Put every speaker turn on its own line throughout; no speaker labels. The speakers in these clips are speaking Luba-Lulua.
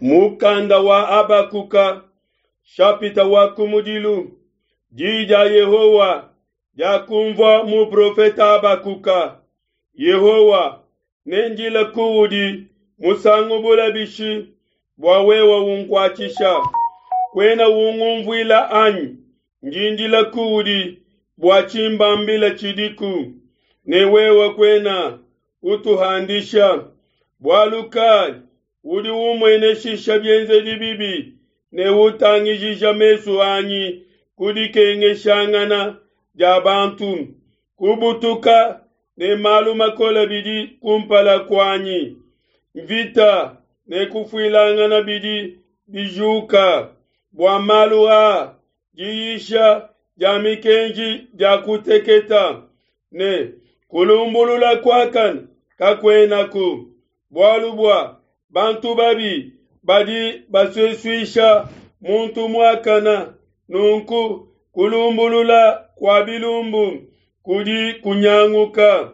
Mukanda wa Habakuka, shapita wa kumudilu. Di dia Yehowa diakumvua muprofete Habakuka. Yehowa, nendile kuudi musangu bule bishi bua wewe unkuatshisha? Kuena ungumvuila anyi? Ndi ndila kuudi bua tshimbambila tshidiku, ne wewe kuena utuhandisha. Bualu kai udi umueneshisha bienzedi bibi ne utangijija mesu anyi ku dikengeshangana dia bantu? Kubutuka ne malu makole bidi kumpala kuanyi, mvita ne kufuilangana bidi bijuka. Bua malu aa diyisha dia mikenji dia kuteketa, ne kulumbulula kuakane kakuenaku. Bualu bua bantu babi badi basesuisha muntu muakane, nunku kulumbulula kua bilumbu kudi kunyanguka.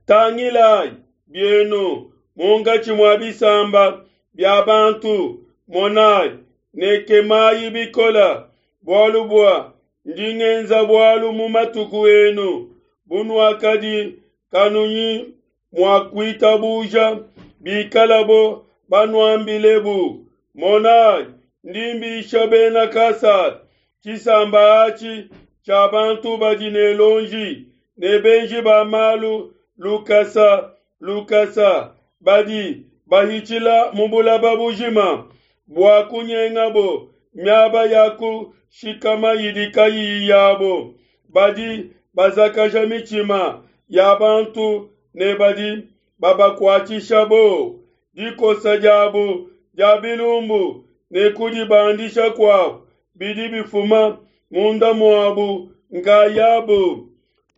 Tangilayi bienu munkatshi mua bisamba bia bantu, monayi ne kemayi bikole, bualu bua ndi ngenza bualu mu matuku enu bunuakadi kanuyi mua kuitabuja, bikalabo banuambilebu. Monayi, ndi mbisha bena Kasada, tshisamba atshi tshia bantu badi ne luonji ne benji ba malu lukasa lukasa, badi bahitshila mu bulaba bujima bua kunyengabo miaba ya kushikama idi kayiyi yabo. Badi bazakaja mitshima ya bantu ne badi babakuatshisha buowa. Dikosa diabo dia bilumbu ne kudibandisha kuabo bidi bifuma munda muabu nkayabu.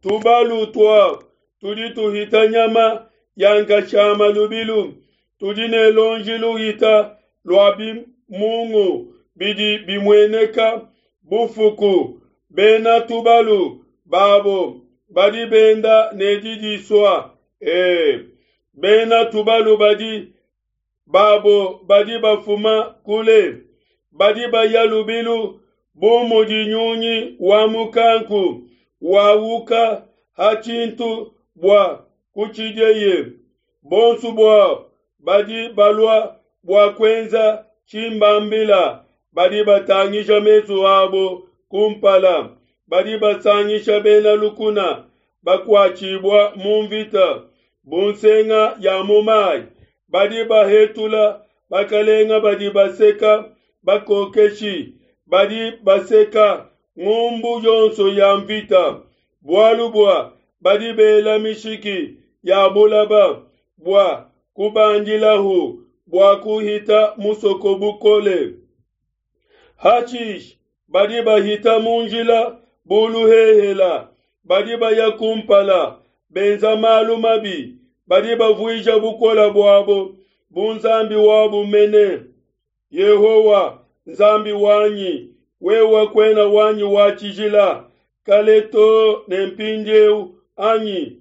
Tubalu tuabu tudi tuhita nyama ya nkashama lubilu, tudi ne luonji luhita lua bimungu bidi bimueneka bufuku. Bena tubalu babo badi benda ne didisua, e, bena tubalu badi babo badi bafuma kule, badi baya lubilu bu mudi nyunyi wa mukanku wawuka ha tshintu bua kutshidieye. Bonso buabo badi balua bua kuenza tshimbambila badi batangija mesu abo kumpala, badi basangisha bena lukuna bakuatshibua mu mvita bu nsenga ya mu mayi. Badi bahetula bakalenga, badi baseka bakokeshi, badi baseka ngumbu yonso ya mvita. Bualu bua badi bela mishiki ya bulaba bua kubandilahu bua kuhita musoko bukole. Hashishe badi bahita mu njila bu luhehela, badi baya kumpala benza malu mabi, badi bavuija bukole buabo bu nzambi wabo mene. Yehowa, Nzambi wanyi, wewe kuena wanyi wa tshijila kale too ne mpindieu anyi?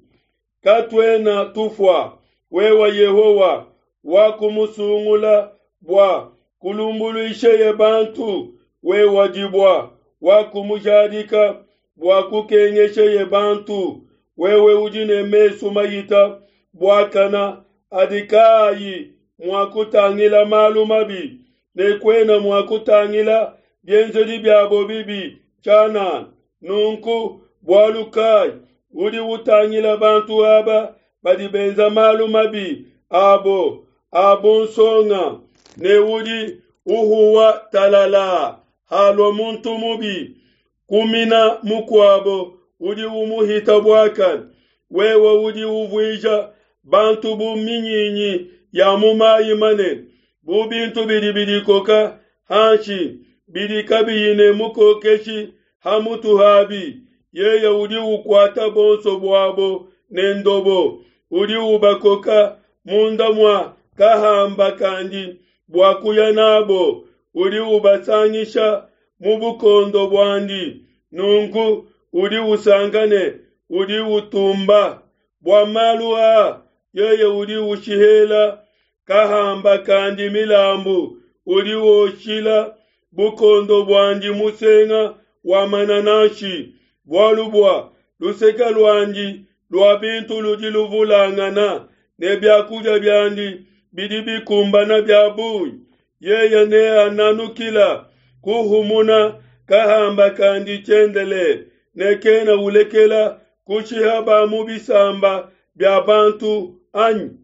Katuena tufua. Wewe Yehowa, wakumusungula bua kulumbuluisheye bantu, wewe dibua, wakumujadika bua kukengesheye bantu. Wewe udi ne mesu mahita buakana adi kaayi mua kutangila malu mabi, ne kuena mua kutangila bienzedi biabo bibi tshianana. Nunku bualu kai udi utangila bantu aba badi benza malu mabi abo a bunsonga, ne udi uhuwa talala halua muntu mubi kumina mukuabo udi umuhita buakane? Wewe udi uvuija bantu bu minyinyi ya mu mayi manene, bu bintu bidi bidikoka hanshi, bidi kabiyi ne mukokeshi ha mutu habi. Yeye udi ukuata bonso buabo ne ndobo, udi ubakoka munda mua kahamba kandi bua kuya nabo, udi ubasangisha mu bukondo buandi. Nunku udi usanka ne udi utumba bua malu aa, yeye udi ushihela. kahamba kandi milambu, udi woshila bukondo buandi musenga wa manananshi, bualu bua luseke luandi lua bintu ludi luvulangana, ne bia kudia biandi bidi bikumbana bia bungi, yeye neananukila kuhumuna kahamba kandi tshiendelele, ne kena ulekela kushiha ba mu bisamba bia bantu, anyi?